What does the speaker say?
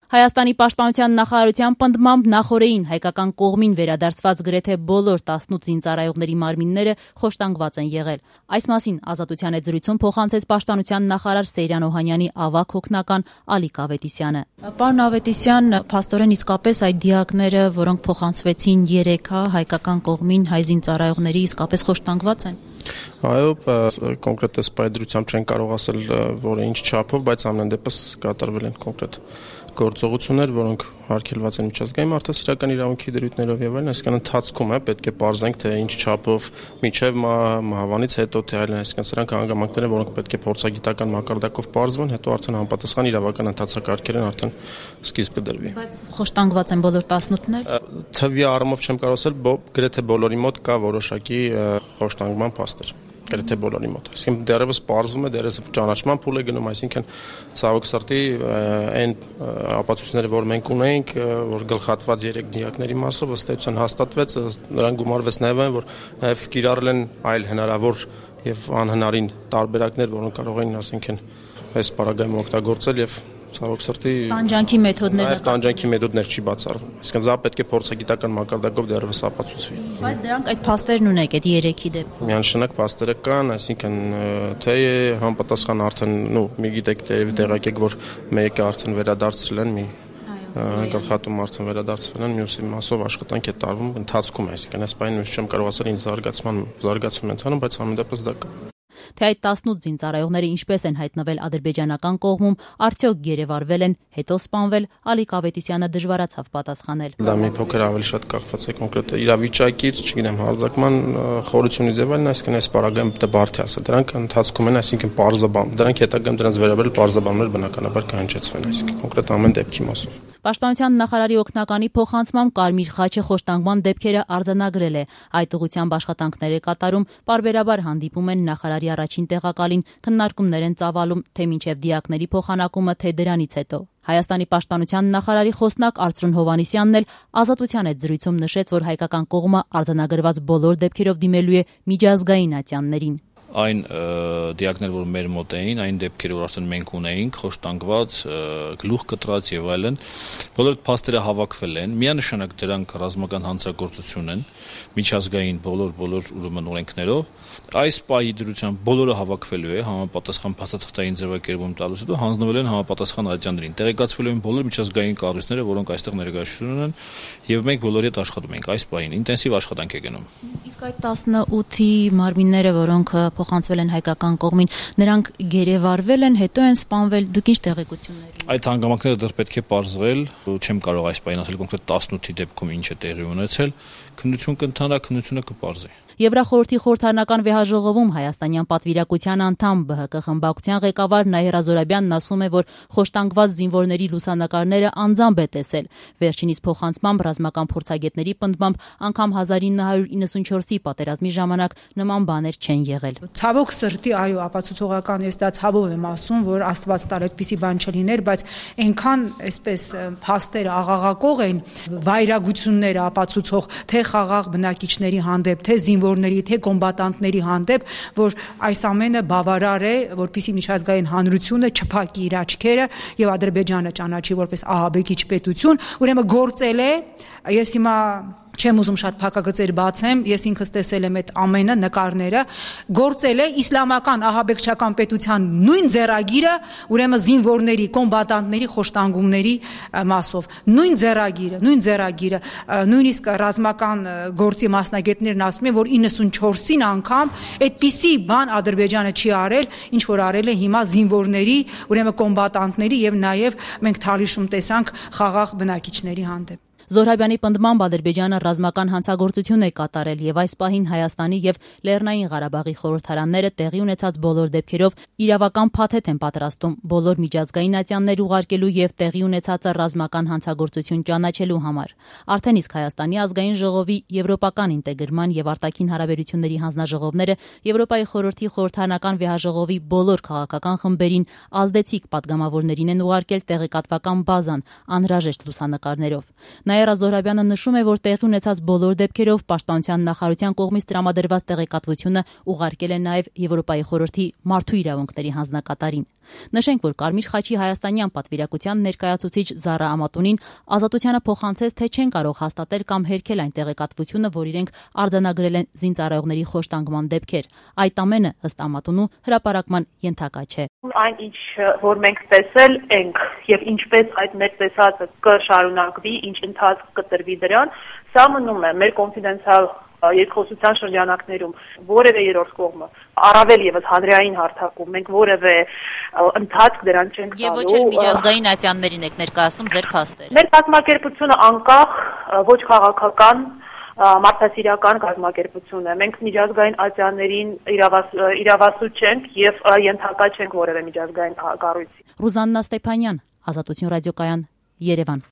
Հայաստանի պաշտպանության նախարարության պնդմամբ նախօրեին հայկական կողմին վերադարձված գրեթե բոլոր 18 զինծառայողների մարմինները խոշտանգված են եղել։ Այս մասին Ազատության հետ զրույցում փոխանցեց պաշտպանության նախարար Սեյրան Օհանյանի ավագ հոգնական Ալիկ Ավետիսյանը։ Պարոն Ավետիսյան, փաստորեն իսկապես այդ դիակները, որոնք փոխանցվեցին երեքա հայկական կողմին հայ զինծառայողների իսկապես խոշտանգված են։ Այո, կոնկրետ սպայդրությամբ չեն կարող ասել, որ ինչ չափով, բայց ամեն դեպս կատարվել են կոնկրետ գործողություններ, որոնք արգելված են միջազգային մարդասիրական իրավունքի դրույթներով եւ այլն, այսինքն ընթացքում է պետք է պարզենք, թե ինչ չափով միջև մահվանից հետո թե այլն, այսինքն սրանք հանգամանքներ են, որոնք պետք է փորձագիտական մակարդակով պարզվեն, հետո արդեն համապատասխան իրավական ընթացակարգերն արդեն սկիզբ կդրվի։ Բայց խոշտանգված են բոլոր 18-ները։ Թվի առումով չեմ կարող ասել, գրեթե բոլորի մոտ կա որոշակի խոշտանգման փաստեր։ Գրեթե բոլորի մոտ։ Այսինքն դեռևս պարզվում է, դեռևս ճանաչման փուլ է գնում, այսինքն ցավոք սրտի այն ապացույցները, որ մենք ունենք, որ գլխատված 3 դիակների մասով ըստ էության հաստատվեց, նրանք գումարվեց նաև այն, որ նաև կիրառել են այլ հնարավոր եւ անհնարին տարբերակներ, որոնք կարող էին, ասենք, այս պարագայում օգտագործել եւ ցավոք սրտի տանջանքի մեթոդները։ Այդ տանջանքի մեթոդներ չի բացառվում։ Այսինքն դա պետք է փորձագիտական մակարդակով դեռևս ապացուցվի։ Բայց դրանք այդ փաստերն ունեք այդ 3-ի դեպքում։ Միանշանակ փաստերը կան, այսինքն թե համապատասխան արդեն, մի գիտեք, տեղակ եք, որ մեկը արդեն վերադարձրել են, մի գլխատում արդեն վերադարձվել են, մյուսի մասով աշխատանք է տարվում, ընթացքում է, այսինքն այս բանը ես չեմ կարող ասել, ինչ զարգացում է ընթանում, բայց ամեն դեպս դա կա։ Թե այդ 18 զինծառայողները ինչպես են հայտնվել ադրբեջանական կողմում, արդյոք գերեվարվել են, հետո սպանվել, Ալիկ Ավետիսյանը դժվարացավ պատասխանել։ Դա մի փոքր ավելի շատ կախված է կոնկրետ իրավիճակից, չգիտեմ, հարձակման խորությունից եւ այլն, այսինքն այս պարագայում դա բարդ է ասել։ Դրանք ընթացքում են, այսինքն պարզաբան, դրանք հետագայում դրանց վերաբերել պարզաբաններ բնականաբար կհնչեցվեն, այսինքն կոնկրետ ամեն դեպքի մասով։ Պաշտպանության նախարարի օգնականի փոխանցմամբ Կարմիր խաչը խոշտանգման դեպքերը արձանագրել է։ Այդ ուղղությամբ աշխատանքներ է կատարում, պարբերաբար հանդիպում են նախարարի առաջին տեղակալին, քննարկումներ են ծավալում, թե մինչև դիակների փոխանակումը, թե դրանից հետո։ Հայաստանի պաշտպանության նախարարի խոսնակ Արծրուն Հովհաննիսյանն էլ Ազատության հետ զրույցում նշեց, որ հայկական կողմը արձանագրված բոլոր դեպքերով դիմելու է միջազգային ատյաններին։ Այն դիակներ, որ մեր մոտ էին, այն դեպքերը, որ արդեն մենք ունեինք, խոշտանգված, գլուխ կտրած եւ այլն, բոլոր փաստերը հավաքվել են, միանշանակ դրանք ռազմական հանցագործություն են, միջազգային բոլոր ուրեմն օրենքներով։ Այս պահի դրությամբ բոլորը հավաքվելու է, համապատասխան փաստաթղթային ձևակերպում տալուց հետո հանձնվել են համապատասխան ատյաններին։ Տեղեկացվելու են բոլոր միջազգային կառույցները, որոնք այստեղ ներկայացություն ունեն, եւ մենք բոլորի հետ աշխատում ենք այս պահին, ինտենսիվ աշխատանք է գնում։ Իսկ այդ 18-ի մարմինները, որոնք փոխանցվել են հայկական կողմին, նրանք գերեվարվել են, հետո են սպանվել, դուք ինչ տեղեկություններ ունեք։ Այդ հանգամանքները դեռ պետք է պարզվել, չեմ կարող այս պահին ասել կոնկրետ 18-ի դեպքում ինչ է տեղի ունեցել, քննություն կընթանա, քննությունը կպարզի։ Եվրախորհրդի խորհրդարանական վեհաժողովում հայաստանյան պատվիրակության անդամ ԲՀԿ խմբակցության ղեկավար Նահեր Ազորաբյանն ասում է, որ խոշտանգված զինվորների լուսանկարները անձամբ է տեսել։ Վերջինիս փոխանցմամբ ռազմական փորձագետների պնդմամբ անգամ 1994-ի պատերազմի ժամանակ նման բաներ չեն եղել։ Ցավոք սրտի, այո, ապացուցողական ես դա ցավով եմ ասում, որ Աստված տար այդպիսի բան չլիներ, բայց այնքան այսպես փաստերը աղաղակող են, վայրագությունները ապացուցող թե խաղաղ բնակիչների հանդեպ, թե զինվորների, թե կոմբատանտների հանդեպ, որ այս ամենը բավարար է, որպեսզի միջազգային հանրությունը չփակի իր աչքերը եւ Ադրբեջանը ճանաչի որպես ահաբեկիչ պետություն, ուրեմն գործել է, ես հիմա չեմ ուզում շատ փակագծեր բացեմ, ես ինքս տեսել եմ այդ ամենը նկարները, գործել է իսլամական ահաբեկչական պետության նույն ձեռագիրը, ուրեմն զինվորների, կոմբատանտների խոշտանգումների մասով, նույն ձեռագիրը, նույնիսկ ռազմական գործի մասնագետներն ասում են, որ 94-ին անգամ այդպիսի բան Ադրբեջանը չի արել, ինչ որ արել է հիմա զինվորների, ուրեմն կոմբատանտների եւ նաեւ մենք Թալիշում տեսանք խաղաղ բնակիչների հանդեպ։ Զոհրաբյանի պնդմամբ Ադրբեջանը ռազմական հանցագործություն է կատարել եւ այս պահին Հայաստանի եւ Լեռնային Ղարաբաղի խորհրդարանները տեղի ունեցած բոլոր դեպքերով իրավական փաթեթ են պատրաստում բոլոր միջազգային ատյաններ ուղարկելու եւ տեղի ունեցածը ռազմական հանցագործություն ճանաչելու համար։ Արդեն իսկ Հայաստանի ազգային ժողովի եվրոպական ինտեգրման եւ արտաքին հարաբերությունների հանձնաժողովները Եվրոպայի խորհրդի խորհրդարանական վեհաժողովի բոլոր քաղաքական խմբերին ազդեցիկ պատգամավորներին են ուղարկել տեղեկատվական բազան անհրաժեշտ լուսանկարներով։ Նաիրա Զոհրաբյանը նշում է, որ տեղի ունեցած բոլոր դեպքերով Պաշտպանության նախարարության կողմից տրամադրված տեղեկատվությունը ուղարկել է նաև Եվրոպայի խորհրդի մարդու իրավունքների հանձնակատարին։ Նշենք, որ Կարմիր խաչի հայաստանյան պատվիրակության ներկայացուցիչ Զարա Ամատունին Ազատությանը փոխանցեց, թե չեն կարող հաստատել կամ հերքել այն տեղեկատվությունը, որ իրենք արձանագրել են զինծառայողների խոշտանգման դեպքեր։ Այդ ամենը, ըստ Ամատունու, հրապարակման ենթակա չէ։ Այն ինչ որ մենք տեսել ենք եւ ինչպես այդ մեր տեսածը կշարունակվի, ինչ ընթացք կտրվի դրան, սա մնում է մեր կոնֆիդենցիալ երկխոսության շրջանակներում որևէ երրորդ կողմը առավել եւս հանրային հարթակում մենք որևէ ընթացք դրան չենք տալու։ Եվ ոչ էլ միջազգային ատյաններին եք ներկայացնում ձեր փաստերը։ Մեր կազմակերպությունը անկախ ոչ քաղաքական մարդասիրական կազմակերպություն է։ Մենք միջազգային ատյաններին իրավասու չենք եւ ենթակա չենք որևէ միջազգային կառույցի։ Ռուզաննա Ստեփանյան, Ազատություն ռադիոկայան, Երևան։